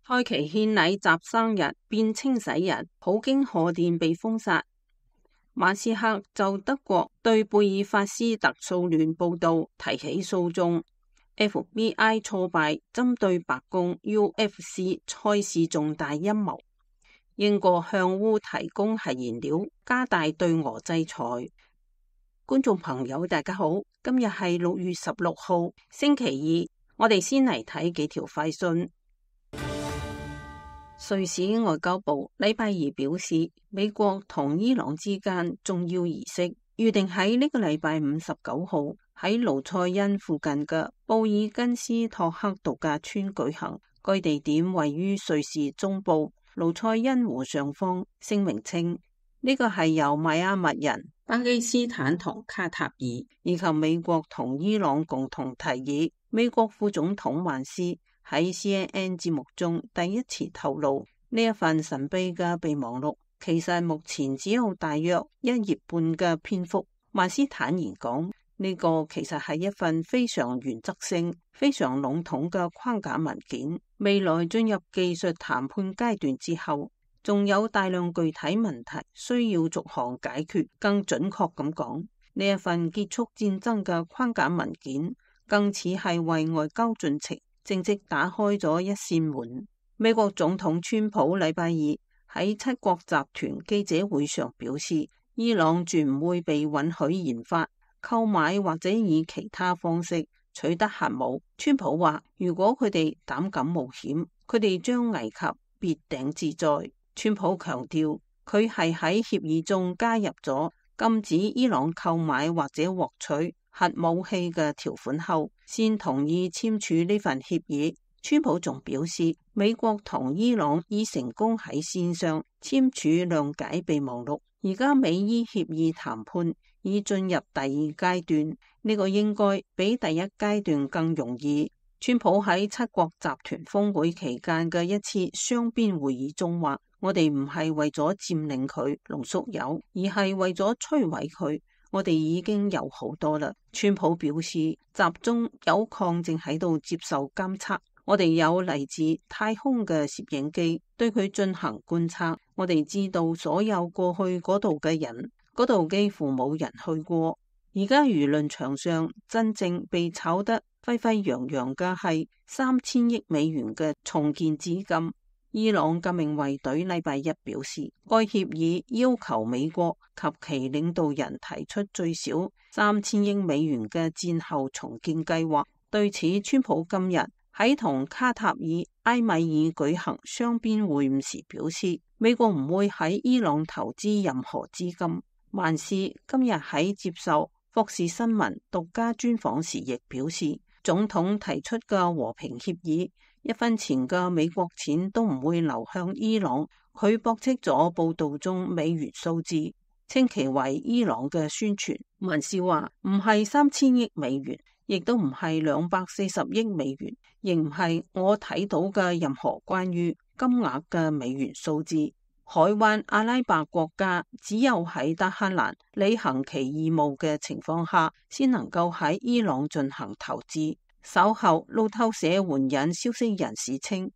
蔡奇獻禮集生日變清洗日，普京賀電被封殺。馬斯克就德國對貝爾法斯特騷亂報道提起訴訟。FBI 挫敗針對白宮 UFC 賽事重大陰謀。英國向烏提供核燃料，加大對俄制裁。觀眾朋友大家好，今日係6月16號星期二，我哋先嚟睇幾條快訊。瑞士外交部禮拜二表示，美國同伊朗之間重要儀式預定喺呢個禮拜59號喺盧塞恩附近嘅布爾根斯托克度假村舉行。該地點位於瑞士中部盧塞恩湖上方。聲明稱，呢個係由邁阿密人、巴基斯坦同卡塔爾以及美國同伊朗共同提議。美國副總統萬斯喺 CNN 節目中第一次透露，呢一份神秘嘅備忘錄其實目前只有大約1頁半嘅篇幅。萬斯坦言講，呢個其實係一份非常原則性、非常籠統嘅框架文件。未來進入技術談判階段之後，仲有大量具體問題需要逐項解決。更準確咁講，呢一份結束戰爭嘅框架文件更似係為外交進程正式打開咗一扇門。美國總統川普禮拜二喺七國集團記者會上表示，伊朗絕唔會被允許研發、購買或者以其他方式取得核武。川普話，如果佢哋膽敢冒險，佢哋將危及滅頂之災。川普強調，佢係喺協議中加入咗禁止伊朗購買或者獲取核武器嘅條款後，先同意簽署呢份協議。川普仲表示，美國同伊朗已成功喺線上簽署諒解備忘錄，而家美伊協議談判已進入第二階段，呢個應該比第一階段更容易。川普喺七國集團峰會期間嘅一次雙邊會議中話，我哋唔係為咗佔領佢濃縮鈾，而係為咗摧毀佢。我哋已經有好多啦。川普表示，集中鈾礦正喺度接受監測，我哋有嚟自太空嘅攝影機對佢進行觀測。我哋知道所有過去嗰度嘅人，嗰度幾乎冇人去過。而家輿論場上真正被炒得沸沸揚揚嘅係3000億美元嘅重建資金。伊朗革命衛隊禮拜一表示，該協議要求美國及其領導人提出最少3000億美元嘅戰後重建計劃。對此，川普今日喺同卡塔爾埃米爾舉行雙邊會晤時表示，美國唔會喺伊朗投資任何資金。萬斯今日喺接受霍士新聞獨家專訪時亦表示，總統提出嘅和平協議1分錢嘅美國錢都唔會流向伊朗。佢駁斥咗報道中美元數字，稱其為伊朗嘅宣傳。萬斯話唔係3000億美元，亦都唔係240億美元，亦唔係我睇到嘅任何關於金額嘅美元數字。海灣阿拉伯國家只有喺德黑蘭履行其義務嘅情況下，先能夠喺伊朗進行投資。稍後路透社援引消息人士稱，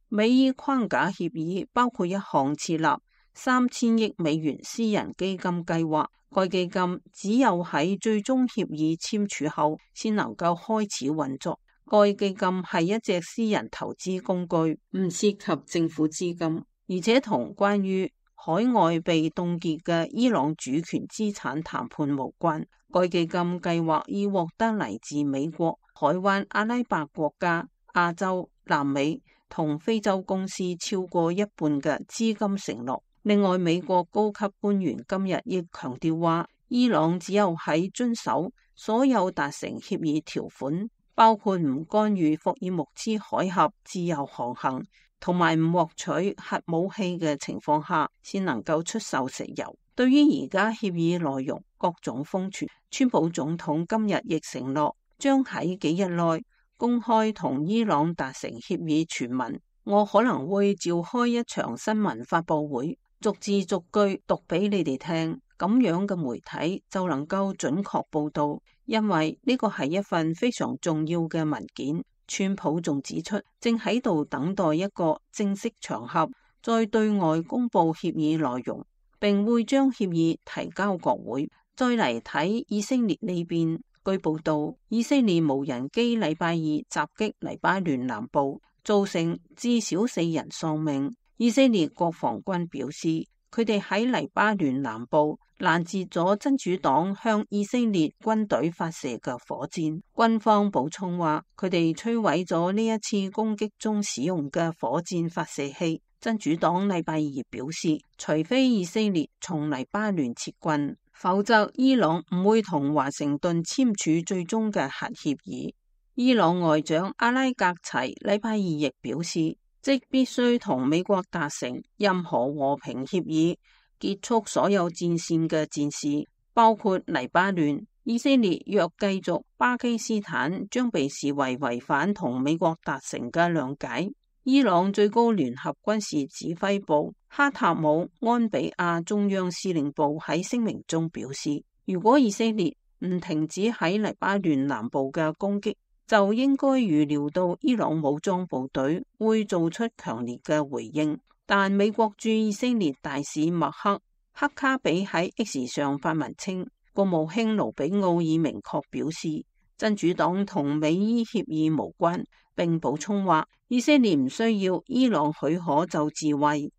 美伊框架協議包括一項設立3000億美元私人基金計劃。該基金只有喺最終協議簽署後先能夠開始運作。該基金係一隻私人投資工具，唔涉及政府資金，而且同關於海外被凍結嘅伊朗主權資產談判無關。該基金計劃已獲得嚟自美國、海灣阿拉伯國家、亞洲、南美同非洲公司超過一半嘅資金承諾。另外，美國高級官員今日亦強調話，伊朗只有喺遵守所有達成協議條款，包括唔干預霍爾木茲海峽自由航行同埋唔獲取核武器嘅情況下，先能夠出售石油。對於而家協議內容各種瘋傳，川普總統今日亦承諾將喺幾日內公開同伊朗達成協議傳聞。我可能會召開一場新聞發佈會，逐字逐句讀俾你哋聽，咁樣嘅媒體就能夠準確報道，因為呢個係一份非常重要嘅文件。川普仲指出，正喺度等待一個正式場合，再對外公布協議內容，並會將協議提交國會。再嚟睇以色列呢邊，據報道，以色列無人機禮拜二襲擊黎巴嫩南部，造成至少4人喪命。以色列國防軍表示，佢哋喺黎巴嫩南部攔截咗真主黨向以色列軍隊發射嘅火箭。軍方補充話，佢哋摧毀咗呢一次攻擊中使用嘅火箭發射器。真主黨禮拜二表示，除非以色列從黎巴嫩撤軍，否則伊朗唔會同華盛頓簽署最終嘅核協議。伊朗外長阿拉格齊禮拜二亦表示，即必須同美國達成任何和平協議，結束所有戰線嘅戰事，包括黎巴嫩。以色列若繼續，巴基斯坦將被視為違反同美國達成嘅諒解。伊朗最高聯合軍事指揮部哈塔姆安比亞中央司令部喺聲明中表示，如果以色列唔停止喺黎巴嫩南部嘅攻擊，就應該預料到伊朗武裝部隊會做出強烈嘅回應。但美國駐以色列大使麥克卡比喺 X 上發文稱，國務卿盧比奧已明確表示，真主黨同美伊協議無關，並補充話，以色列唔需要伊朗許可就自衛。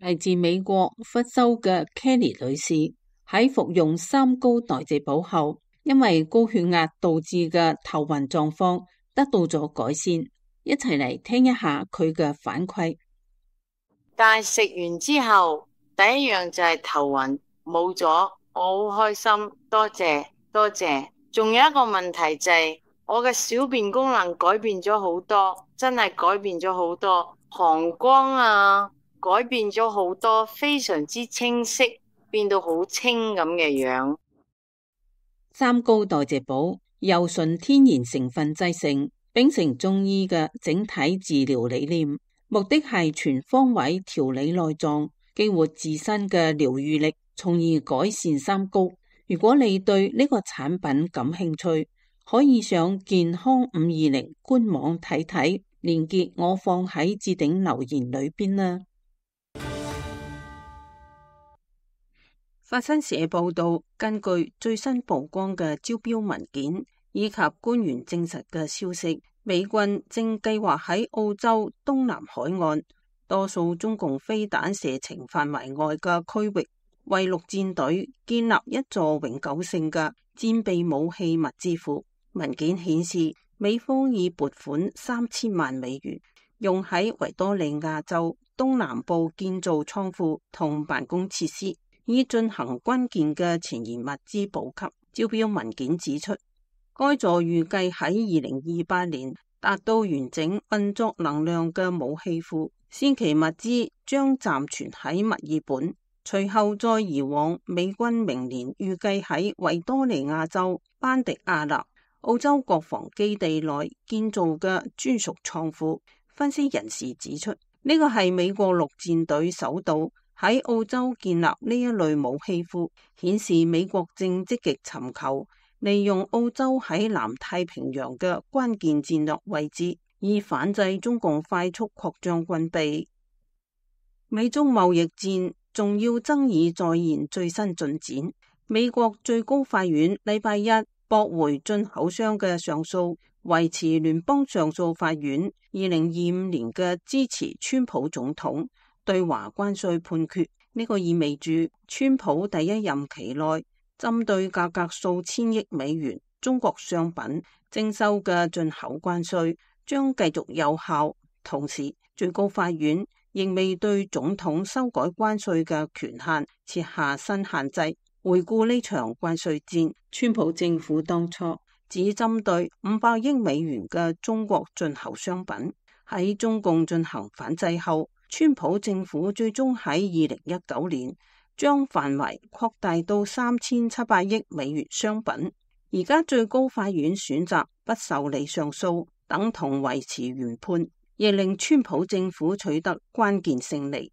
嚟自美國佛州嘅 Kelly 女士喺服用3高代謝補後，因為高血壓導致嘅頭暈狀況得到咗改善，一齊嚟聽一下佢嘅反饋。但係食完之後，第一樣就係頭暈冇咗，我好開心，多謝多謝。仲有一個問題就係我嘅小便功能改變咗好多，真係改變咗好多，膀胱啊改變咗好多，非常之清晰，變到好清咁嘅樣。3高代謝補由純天然成分製成，秉承中醫嘅整體治療理念，目的係全方位調理內臟，激活自身嘅療癒力，從而改善3高。如果你對呢個產品感興趣，可以上健康520官網睇睇，連結我放喺置頂留言裏邊啦。法新社報道，根據最新曝光嘅招標文件以及官員證實嘅消息，美軍正計劃喺澳洲東南海岸多數中共飛彈射程範圍外嘅區域，為陸戰隊建立一座永久性嘅戰備武器物資庫。文件顯示，美方已撥款3000萬美元，用喺維多利亞州東南部建造倉庫同辦公設施，以進行關鍵嘅前沿物資補給。招標文件指出，該座預計喺2028年達到完整運作能量嘅武器庫，先期物資將暫存喺墨爾本，隨後再移往美軍明年預計喺維多利亞州班迪亞納澳洲國防基地內建造嘅專屬倉庫。分析人士指出，呢個係美國陸戰隊首度喺澳洲建立呢一類武器庫，顯示美國正積極尋求利用澳洲喺南太平洋嘅關鍵戰略位置，以反制中共快速擴張軍備。美中貿易戰重要爭議再現最新進展，美國最高法院禮拜一駁回進口商嘅上訴，維持聯邦上訴法院2025年嘅支持川普總統對華關稅判決。呢個意味住川普第一任期內針對價格數千億美元中國商品徵收嘅進口關稅將繼續有效。同時，最高法院仍未對總統修改關稅嘅權限設下新限制。回顧呢場關稅戰，川普政府當初只針對500億美元嘅中國進口商品，喺中共進行反制後，川普政府最終喺2019年將範圍擴大到3700億美元商品。而家最高法院選擇不受理上訴，等同維持原判，亦令川普政府取得關鍵勝利。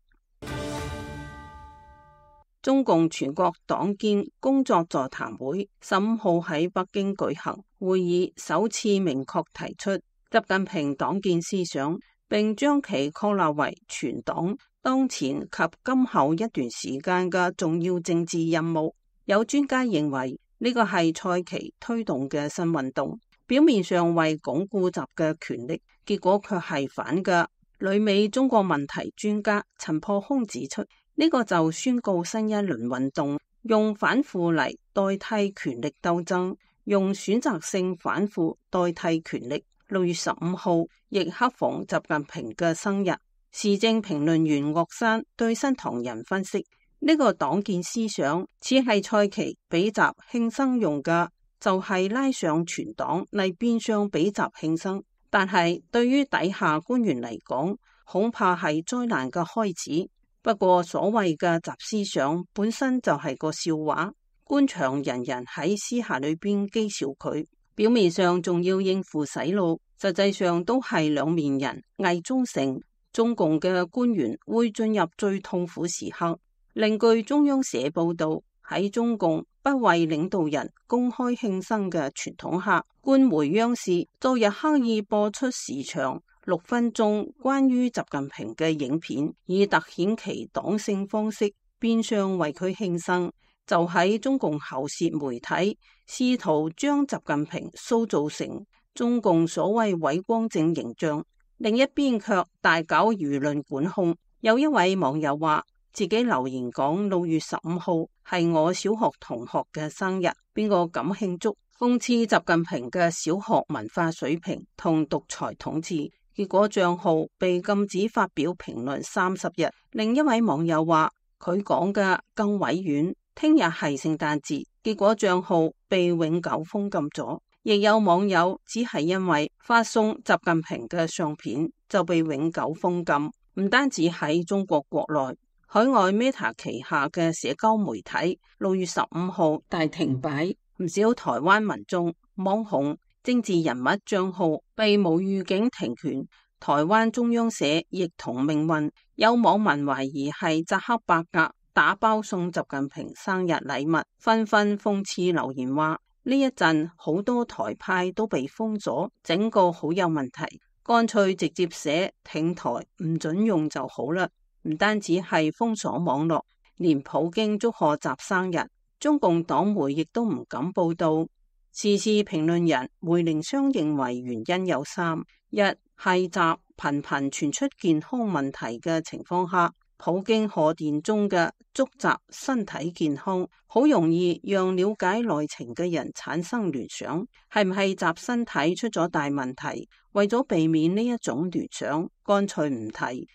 中共全國黨建工作座談會15號喺北京舉行，會議首次明確提出習近平黨建思想，並將其確立為全黨當前及今後一段時間嘅重要政治任務。有專家認為呢個係蔡奇推動嘅新運動，表面上為鞏固習嘅權力，結果卻係反嘅。旅美中國問題專家陳破空指出，呢個就宣告新一輪運動用反腐嚟代替權力鬥爭，用選擇性反腐代替權力。6月15號亦恰逢習近平嘅生日。時政評論員岳山對新唐人分析，呢個黨建思想似係蔡奇俾習慶生用嘅，就係拉上全黨嚟變相俾習慶生。但係對於底下官員嚟講，恐怕係災難嘅開始。不過所謂嘅習思想本身就係個笑話，官場人人喺私下裏邊譏笑佢，表面上仲要應付洗腦，實際上都係兩面人，偽忠誠。中共嘅官員會進入最痛苦時刻。另據中央社報道，喺中共不為領導人公開慶生嘅傳統下，官媒央視昨日刻意播出時長6分鐘關於習近平嘅影片，以凸顯其黨性方式，變相為佢慶生。就喺中共喉舌媒體試圖將習近平塑造成中共所謂偉光正形象，另一邊卻大搞輿論管控。有一位網友話自己留言講6月15號係我小學同學嘅生日，邊個敢慶祝？諷刺習近平嘅小學文化水平同獨裁統治。結果賬號被禁止發表評論30日。另一位網友話佢講嘅更委婉，聽日係聖誕節，結果賬號被永久封禁咗。亦有網友只係因為發送習近平嘅相片就被永久封禁。唔單止喺中國國內，海外 Meta 旗下嘅社交媒體6月15號大停擺，唔少台灣民眾、網紅、政治人物賬號被無預警停權。台灣中央社亦同命運，有網民懷疑係扎克伯格打包送習近平生日禮物，紛紛諷刺留言話呢一陣好多台派都被封咗，整個好有問題，乾脆直接寫挺台唔准用就好啦。唔單止係封鎖網絡，連普京祝賀習生日，中共黨媒亦都唔敢報道。時事評論人梅靈湘認為原因有3：一係習頻頻傳出健康問題嘅情況下，普京賀電中嘅祝習身體健康，好容易讓了解內情嘅人產生聯想，係唔係習身體出咗大問題？為咗避免呢一種聯想，乾脆唔提。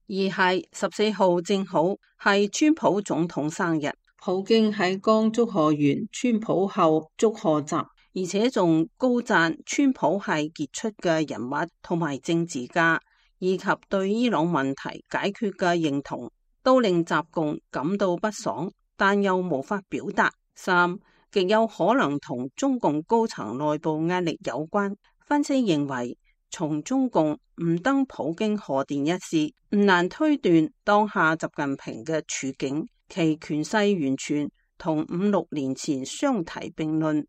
二係14號正好係川普總統生日，普京喺剛祝賀完川普後祝賀習，而且仲高讚川普係傑出嘅人物同埋政治家，以及對伊朗問題解決嘅認同，都令習共感到不爽，但又無法表達。3極有可能同中共高層內部壓力有關。分析認為，從中共唔登普京賀電一事，唔難推斷當下習近平嘅處境，其權勢完全同5-6年前相提並論。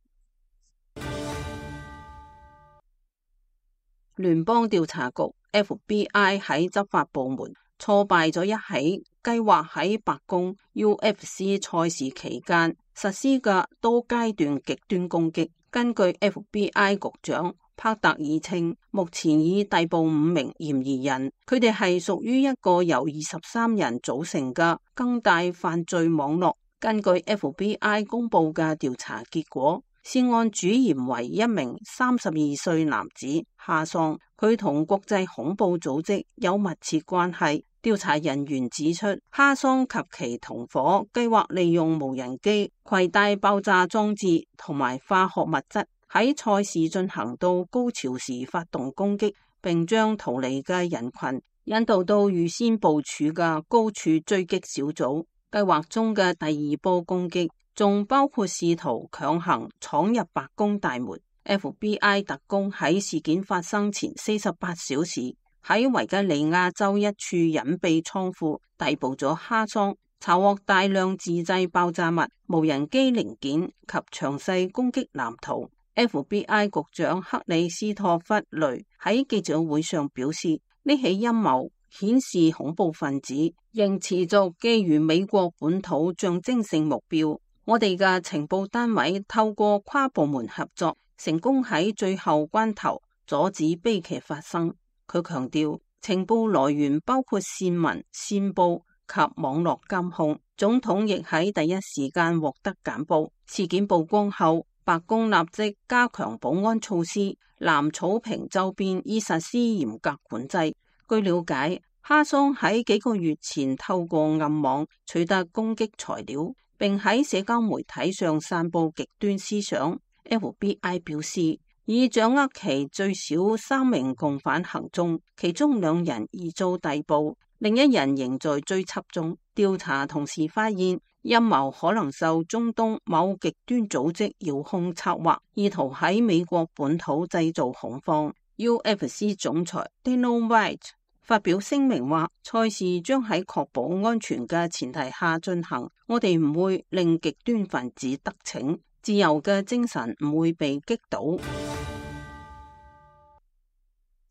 聯邦調查局 FBI 喺執法部門挫敗咗一起計劃喺白宮 UFC 賽事期間實施嘅多階段極端攻擊。根據 FBI 局長帕特爾稱，目前已逮捕5名嫌疑人，佢哋係屬於一個由23人組成嘅更大犯罪網絡。根據 FBI 公布嘅調查結果，涉案主嫌為一名32歲男子哈桑，佢同國際恐怖組織有密切關係。調查人員指出，哈桑及其同夥計劃利用無人機攜帶爆炸裝置同埋化學物質，喺賽事進行到高潮時發動攻擊，並將逃離嘅人群引導到預先部署嘅高處追擊小組。計劃中嘅第2波攻擊仲包括試圖強行闖入白宮大門。FBI 特工喺事件發生前48小時喺維吉尼亞州一處隱蔽倉庫逮捕咗哈桑，查獲大量自製爆炸物、無人機零件及詳細攻擊藍圖。FBI 局長克里斯托弗雷喺記者會上表示，呢起陰謀顯示恐怖分子仍持續覬覦美國本土象徵性目標。我哋嘅情報單位透過跨部門合作，成功喺最後關頭阻止悲劇發生。佢強調，情報來源包括線民、線報及網絡監控。總統亦喺第一時間獲得簡報。事件曝光後，白宮立即加強保安措施，藍草坪周邊已實施嚴格管制。據了解，哈桑喺幾個月前透過暗網取得攻擊材料，並喺社交媒體上散布極端思想。FBI 表示，已掌握其最少3名共犯行蹤，其中2人已遭逮捕，另1人仍在追緝中。調查同時發現，陰謀可能受中東某極端組織遙控策劃，意圖喺美國本土製造恐慌。UFC 總裁 Dana White 發表聲明話，賽事將喺確保安全嘅前提下進行，我哋唔會令極端分子得逞，自由嘅精神唔會被擊倒。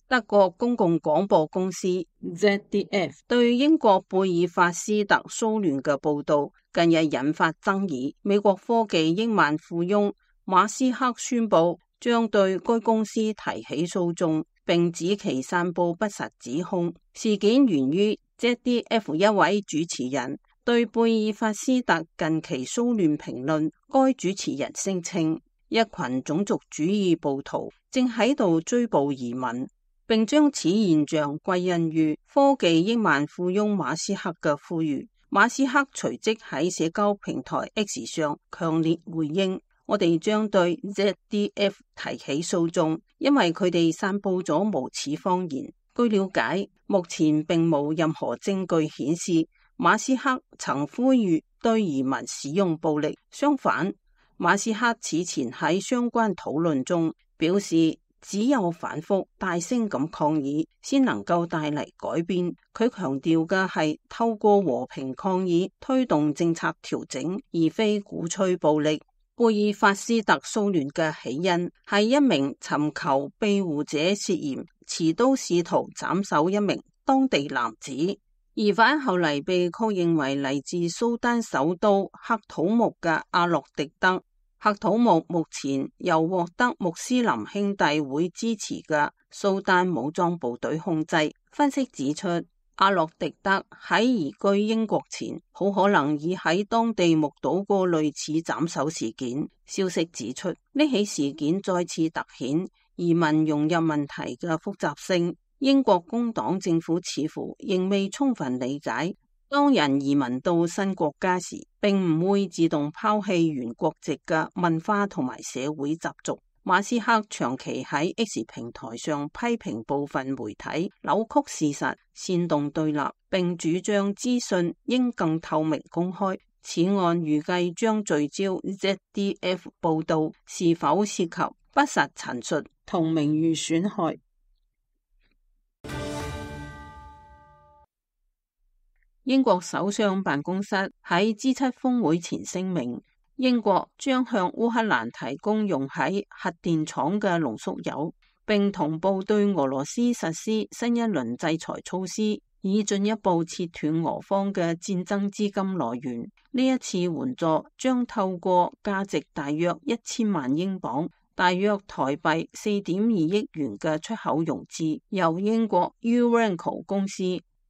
德國公共廣播公司 ZDF 對英國貝爾法斯特騷亂嘅報道近日引發爭議。美國科技億萬富翁馬斯克宣布將對該公司提起訴訟，並指其散布不實指控。事件源於 ZDF 一位主持人對貝爾法斯特近期騷亂評論。該主持人聲稱，一群種族主義暴徒正喺度追捕移民，並將此現象歸因於科技億萬富翁馬斯克嘅呼籲。馬斯克隨即喺社交平台 X 上強烈回應，我哋將對 ZDF 提起訴訟，因為佢哋散布咗無恥謊言。據了解，目前並冇任何證據顯示馬斯克曾呼籲對移民使用暴力。相反，馬斯克此前喺相關討論中表示，只有反覆大聲咁抗議，先能夠帶嚟改變。佢強調嘅係透過和平抗議推動政策調整，而非鼓吹暴力。貝爾法斯特騷亂嘅起因係一名尋求庇護者涉嫌持刀試圖斬首一名當地男子，疑犯後嚟被確認為嚟自蘇丹首都喀土穆嘅阿洛迪德。喀土穆目前由獲得穆斯林兄弟會支持嘅蘇丹武裝部隊控制。分析指出，阿洛迪德喺移居英國前，好可能已喺當地目睹過類似斬首事件。消息指出，呢起事件再次凸顯移民融入問題嘅複雜性。英國工黨政府似乎仍未充分理解，當人移民到新國家時，並唔會自動拋棄原國籍嘅文化同埋社會習俗。馬斯克長期喺 X 平台上批評部分媒體扭曲事實、煽動對立，並主張資訊應更透明公開。此案預計將聚焦 ZDF 報道是否涉及不實陳述同名譽損害。英國首相辦公室喺 G7 峰會前聲明，英國將向烏克蘭提供用喺核電廠嘅濃縮鈾，並同步對俄羅斯實施新一輪制裁措施，以進一步切斷俄方嘅戰爭資金來源。呢一次援助將透過價值大約1000萬英鎊，大約台幣4.2億元嘅出口融資，由英國 Urenco 公司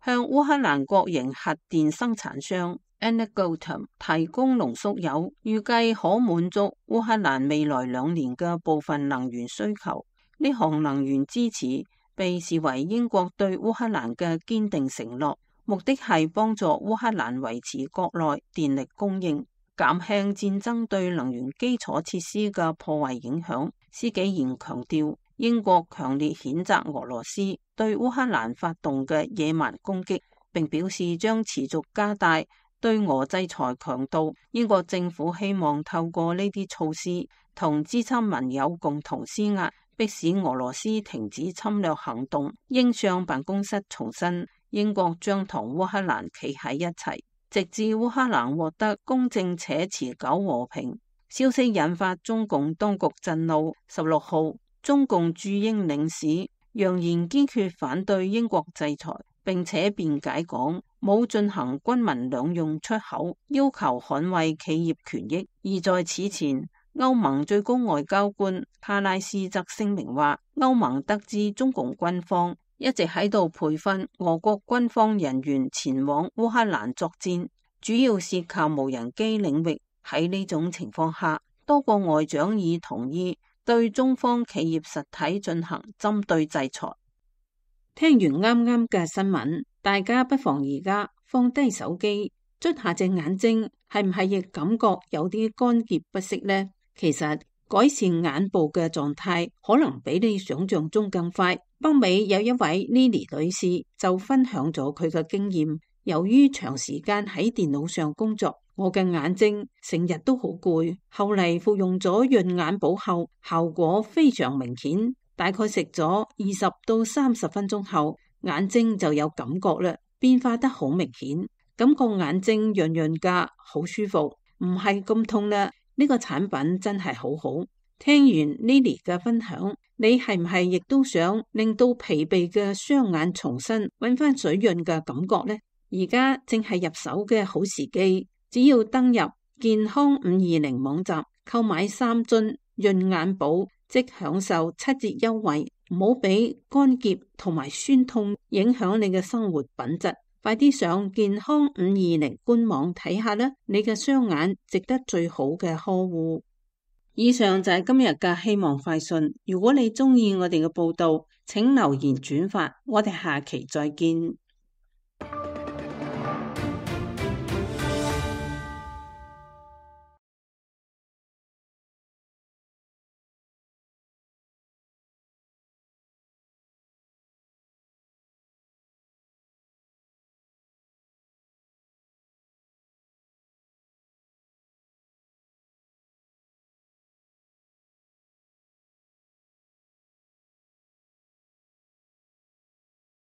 向烏克蘭國營核電生產商 Energoatom 提供濃縮鈾，預計可滿足烏克蘭未來2年嘅部分能源需求。呢項能源支持被視為英國對烏克蘭嘅堅定承諾，目的係幫助烏克蘭維持國內電力供應，減輕戰爭對能源基礎設施嘅破壞影響。施紀賢強調，英國強烈譴責俄羅斯對烏克蘭發動嘅野蠻攻擊，並表示將持續加大對俄制裁強度。英國政府希望透過呢啲措施，同G7盟友共同施壓，迫使俄羅斯停止侵略行動。英相辦公室重申，英國將同烏克蘭企喺一齊，直至烏克蘭獲得公正且持久和平。消息引發中共當局震怒。16號，中共駐英領事揚言堅決反對英國制裁，並且辯解講冇進行軍民兩用出口，要求捍衛企業權益。而在此前，歐盟最高外交官卡拉斯則聲明話，歐盟得知中共軍方一直喺度培訓俄國軍方人員前往烏克蘭作戰，主要是靠無人機領域。喺呢種情況下，多個外長已同意對中方企業實體進行針對制裁。聽完啱啱嘅新聞，大家不妨而家放低手機，捽下隻眼睛，係唔係亦感覺有啲乾澀不適呢？其實改善眼部嘅狀態可能比你想象中更快。北美有一位 Lily 女士就分享咗佢嘅經驗，由於長時間喺電腦上工作，我嘅眼睛成日都好攰，後嚟服用咗潤眼寶後，效果非常明顯，大概食咗20到30分鐘後，眼睛就有感覺啦，變化得好明顯，感覺眼睛潤潤噶，好舒服，唔係咁痛啦。呢個產品真係好好。聽完 Lily 嘅分享，你係唔係亦都想令到疲憊嘅雙眼重新搵翻水潤嘅感覺呢？而家正係入手嘅好時機，只要登入健康520網站購買3樽潤眼寶，即享受7折優惠。唔好俾乾澀同埋酸痛影響你嘅生活品質。快啲上健康520官網睇下啦，你嘅雙眼值得最好嘅呵護。以上就係今日嘅希望快訊。如果你鍾意我哋嘅報道，請留言轉發。我哋下期再見。